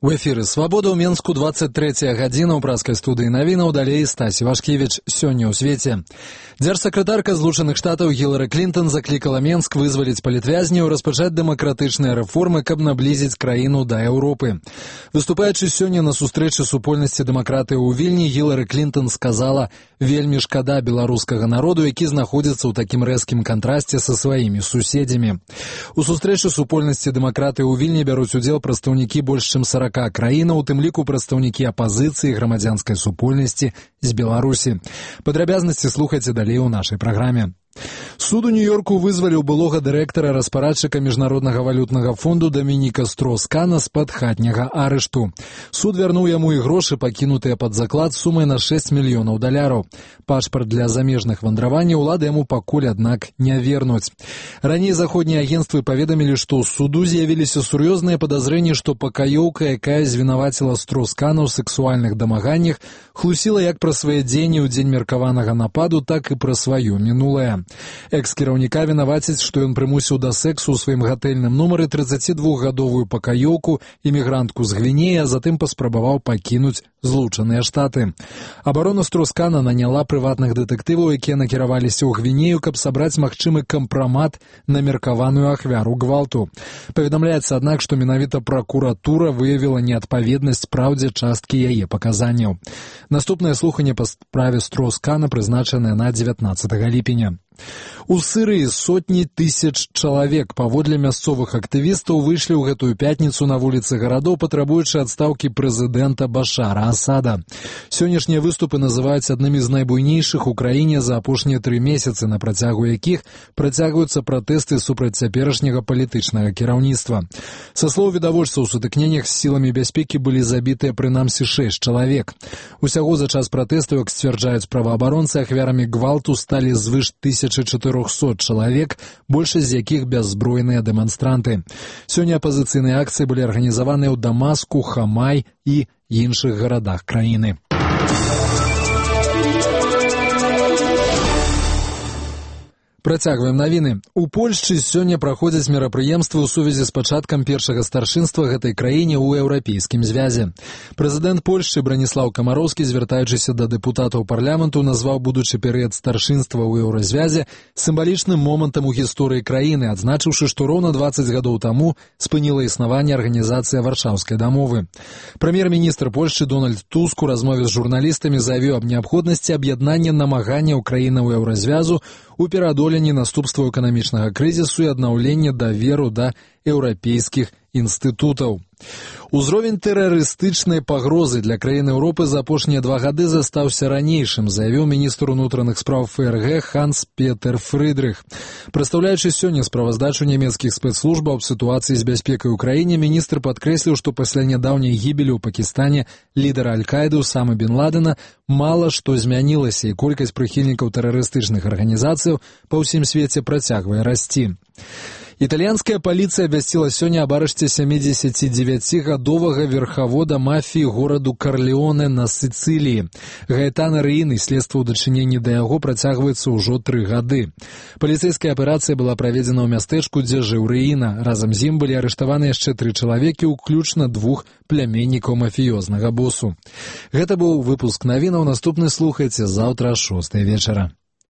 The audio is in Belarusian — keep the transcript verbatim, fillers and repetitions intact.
У эфіры «Свабода» ў Менску, двадцать третья гадзіна ў праскай студыі навінаў, далей Стасі Вашкевіч. Сёння ў свеце. Дзяржсакратарка Злучаных Штатаў Гілары Клінтон заклікала Менск вызваліць палітвязняў, распачаць дэмакратычныя рэформы, каб наблізіць краіну да Еўропы. Выступаючы сёння на сустрэчы супольнасці дэмакратыі ў Вільні, Гілары Клінтон сказала: «Вельмі шкада беларускага народу, які знаходзіцца ў такім рэзкім кантрасце са сваімі суседзямі». У сустрэчы супольнасці дэмакратыі ў Вільні бяруць удзел прадстаўнікі больш чым сорока краінаў, у тым ліку прадстаўнікі апазіцыі, грамадзянскай супольнасці з Беларусі. Падрабязнасці слухайце далей у нашай праграме. Суд у Нью-Йорку вызваліў былога дырэктара распарадчыка Міжнароднага валютнага фонду Дамініка Строус-Кана з-пад хатняга арышту. Суд вярнуў яму і грошы, пакінутыя пад заклад сумай на шэсць мільёнаў даляраў. Пашпарт для замежных вандраванняў улады яму пакуль, аднак, не вернуць. Раней заходнія агенцтвы паведамілі, што ў суду з'явіліся сур'ёзныя падазрэнні, што пакаёўка, якая звінаваціла Строус-Кана ў сексуальных дамаганнях, хлусіла як пра свае дзеянні ў дзень меркаванага нападу, так і пра сваё мінулае. Экс-кіраўніка вінавацяць, што ён прымусіў да сэксу ў сваім гатэльным нумары трыццацідвухгадовую пакаёўку, імігрантку з Гвінеі, а затым паспрабаваў пакінуць Злучаныя Штаты. Абарона Строус-Кана наняла прыватных дэтэктываў, якія накіраваліся ў Гвінею, каб сабраць магчымы кампрамат на меркаваную ахвяру гвалту. Паведамляецца, аднак, што менавіта пракуратура выявіла неадпаведнасць праўдзе часткі яе паказанняў. Наступнае слуханне па справе Строус-Кана прызначанае на дзевятнаццатага ліпеня. У Сырыі сотні тысяч чалавек, паводле мясцовых актывістаў, выйшлі ў гэтую пятніцу на вуліцы гарадоў, патрабуючы адстаўкі прэзідэнта Башара Асада. Сённяшнія выступы называюць аднымі з найбуйнейшых у краіне за апошнія тры месяцы, на працягу якіх працягваюцца пратэсты супраць цяперашняга палітычнага кіраўніцтва. Са слоў відавочцаў, у сутыкненнях з сіламі бяспекі былі забітыя прынамсі шэсць чалавек. Усяго за час пратэстаў, як сцвярджаюць праваабаронцы, ахвярамі гвалту сталі звыш тысячы чатырохсот чалавек, большасць з якіх бяззбройныя дэманстранты. Сёння апазіцыйныя акцыі былі арганізаваныя ў Дамаску, Хамай і іншых гарадах краіны. Працягваем навіны. У Польшчы сёння праходзяць мерапрыемствы ў сувязі з пачаткам першага старшынства гэтай краіне ў еўрапейскім звязе. Прэзідэнт Польшчы Браніслаў Камароўскі, звяртаючыся да дэпутатаў парламенту, назваў будучы перыяд старшынства ў еўразвязе сімвалічным момантам у гісторыі краіны, адзначыўшы, што роўна дваццаць гадоў таму спыніла існаванне арганізацыя Варшаўскай дамовы. Прэм'ер-міністр Польшчы Дональд Туск у размове з журналістамі заявіў аб неабходнасці аб'яднання намаганняў краінаў еўразвязу у пераадоленні наступстваў эканамічнага крызісу і аднаўлення даверу да еўрапейскіх інстытутаў. Узровень тэрарыстычнай пагрозы для краін Еўропы за апошнія два гады застаўся ранейшым, заявіў міністр унутраных спраў ФРГ Ханс-Петер Фрыдрых. Прадстаўляючы сёння справаздачу нямецкіх спецслужбаў аб сітуацыі з бяспекай у краіне, міністр падкрэсліў, што пасля нядаўняй гібелі ў Пакістане лідара Аль-Каіды Усамы бен Ладена мала што змянілася, і колькасць прыхільнікаў тэрарыстычных арганізацыяў па ўсім свеце працягвае расці. Італьянская паліцыя абвясціла сёння аб арышце сямідзесяцідзевяцігадовага верхавода мафіі гораду Карлеоне на Сіцыліі. Гаэтана Рэйны, следства ў дачыненні да яго працягваецца ўжо тры гады. Паліцэйская аперацыя была праведзена ў мястэчку, дзе жыў Рэйна. Разам з ім былі арыштаваны яшчэ тры чалавекі, уключна двух пляменнікаў мафіёзнага босу. Гэта быў выпуск навінаў. Наступны слухайце заўтра шостай вечара.